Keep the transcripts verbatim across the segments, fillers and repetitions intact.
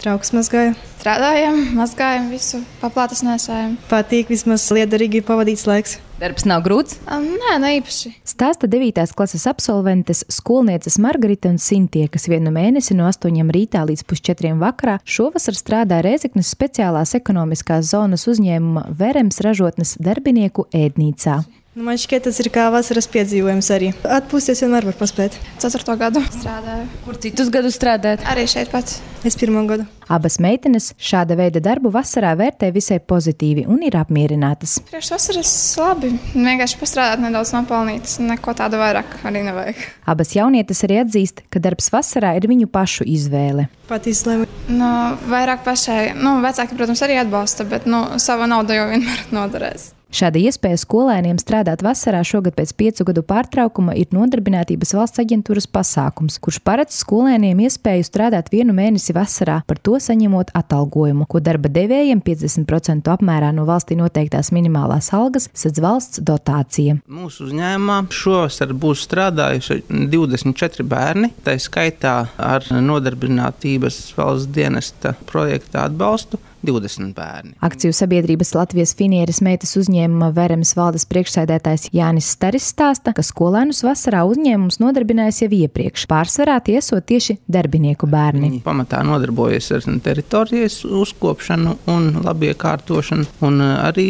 Trauks mazgāju. Strādājam, mazgājam visu, paplātes nesājam. Patīk, vismaz liederīgi pavadīts laiks. Darbs nav grūts? Nē, ne īpaši. Stāsta devītās klases absolventes skolnieces Margarita un Sintie, kas vienu mēnesi no astoņiem rītā līdz pusčetriem vakarā šovasar strādā Rēzeknes speciālās ekonomiskās zonas uzņēmuma Verems ražotnes darbinieku ēdnīcā. Nu, man šķiet, tas ir kā vasaras piedzīvojums arī. Atpūsties vienmēr var paspēt. Ceturto gadu strādāju. Kur citus gadus strādājat? Arī šeit pats. Es pirmo gadu. Abas meitenes šāda veida darbu vasarā vērtē visai pozitīvi un ir apmierinātas. Priekš vasaras labi. Vienkārši pastrādāt nedaudz nopelnīt. Neko tādu vairāk arī nevajag. Abas jaunietes arī atzīst, ka darbs vasarā ir viņu pašu izvēle. Pat izlēma. Nu, vairāk pašai. Nu, vecāki, protams, arī atbalsta, bet nu, sava nauda jau vienmēr noderēs. Šāda iespēja skolēniem strādāt vasarā šogad pēc piecu gadu pārtraukuma ir Nodarbinātības valsts aģentūras pasākums, kurš paredz skolēniem iespēju strādāt vienu mēnesi vasarā, par to saņemot atalgojumu, ko darba devējiem piecdesmit procentu apmērā no valstī noteiktās minimālās algas sedz valsts dotācija. Mūsu uzņēmumā šovasar būs strādājuši divdesmit četri bērni, tā skaitā ar Nodarbinātības valsts dienesta projekta atbalstu. divdesmit bērni. Akciju sabiedrības Latvijas Finieres meitas uzņēmuma Verems valdes priekšsēdētājs Jānis Staris stāsta, ka skolēnus vasarā uzņēmums nodarbinājis jau iepriekš. Pārsvarā tie esot tieši darbinieku bērni. Viņi pamatā nodarbojas ar teritorijas uzkopšanu un labiekārtošanu un arī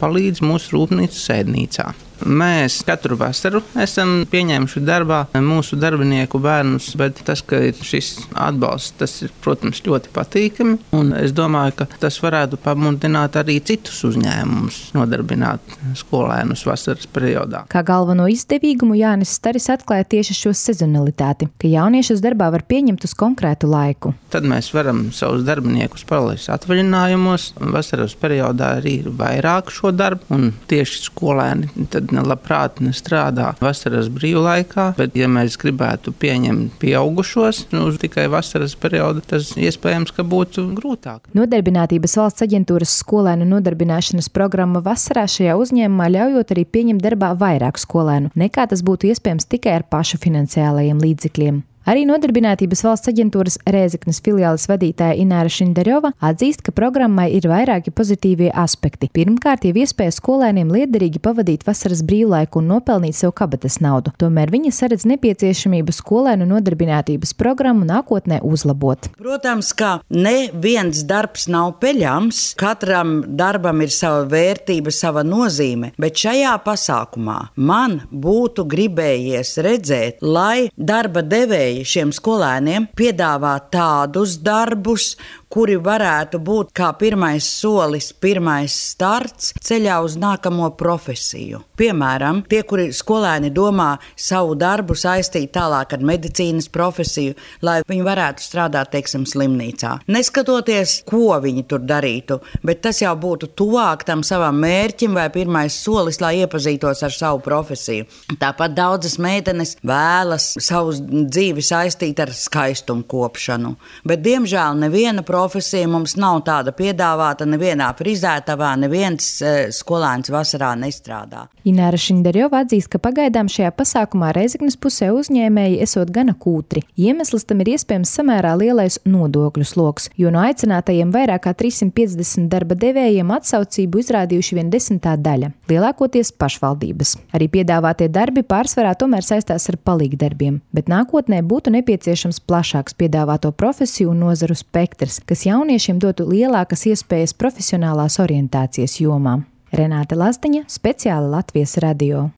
palīdz mūsu rūpnīcas ēdnīcā. Mēs katru vasaru esam pieņēmuši darbā mūsu darbinieku bērnus, bet tas, ka ir šis atbalsts, tas ir, protams, ļoti patīkami. Un es domāju, ka tas varētu pamudināt arī citus uzņēmumus nodarbināt skolēnus vasaras periodā. Kā galveno izdevīgumu Jānis Staris atklāja tieši šo sezonalitāti, ka jauniešus darbā var pieņemt uz konkrētu laiku. Tad mēs varam savus darbiniekus palaist atvaļinājumos. Vasaras periodā arī ir vairāk šo darbu, un tieši skolēni tad labprāt strādā vasaras brīvlaikā, bet ja mēs gribētu pieņemt pieaugušos uz tikai vasaras periodu, tas iespējams, ka būtu grūtāk. Nodarbinātības valsts aģentūras skolēnu nodarbināšanas programma vasarā šajā uzņēmumā ļaujot arī pieņemt darbā vairāk skolēnu, nekā tas būtu iespējams tikai ar pašu finansiālajiem līdzekļiem. Arī Nodarbinātības valsts aģentūras Rēzeknes filiāles vadītāja Ināra Šindeļova atzīst, ka programmai ir vairāki pozitīvie aspekti. Pirmkārt, jau iespēja skolēniem liederīgi pavadīt vasaras brīvlaiku un nopelnīt sev kabatas naudu. Tomēr viņa saredz nepieciešamību skolēnu nodarbinātības programmu nākotnē uzlabot. Protams, ka neviens darbs nav peļams, katram darbam ir sava vērtība, sava nozīme, bet šajā pasākumā man būtu gribējies redzēt, lai darba devēji šiem skolēniem piedāvā tādus darbus, kuri varētu būt kā pirmais solis, pirmais starts ceļā uz nākamo profesiju. Piemēram, tie, kuri skolēni domā savu darbu saistīt tālāk ar medicīnas profesiju, lai viņi varētu strādāt, teiksim, slimnīcā. Neskatoties, ko viņi tur darītu, bet tas jau būtu tuvāk tam savam mērķim vai pirmais solis, lai iepazītos ar savu profesiju. Tāpat daudzas meitenes vēlas savu dzīvi saistīt ar skaistumu kopšanu, bet diemžēl neviena profesija Profesija mums nav tāda piedāvāta nevienā frizētavā, neviens e, skolēns vasarā nestrādā. Ināra Šindeļova atzīst, ka pagaidām šajā pasākumā Rēzeknes pusē uzņēmēji esot gana kūtri. Iemesls tam ir iespējams samērā lielais nodokļu sloks, jo no aicinātajiem vairāk kā trīssimt piecdesmit darba devējiem atsaucību izrādījuši vien desmitā daļa, lielākoties pašvaldības. Arī piedāvātie darbi pārsvarā tomēr saistās ar palīgdarbiem, bet nākotnē būtu nepieciešams plašāks piedāvāto profesiju un nozaru spektrs, kas jauniešiem dotu lielākas iespējas profesionālās orientācijas jomā. Renāte Lazdiņa, speciāli Latvijas radio.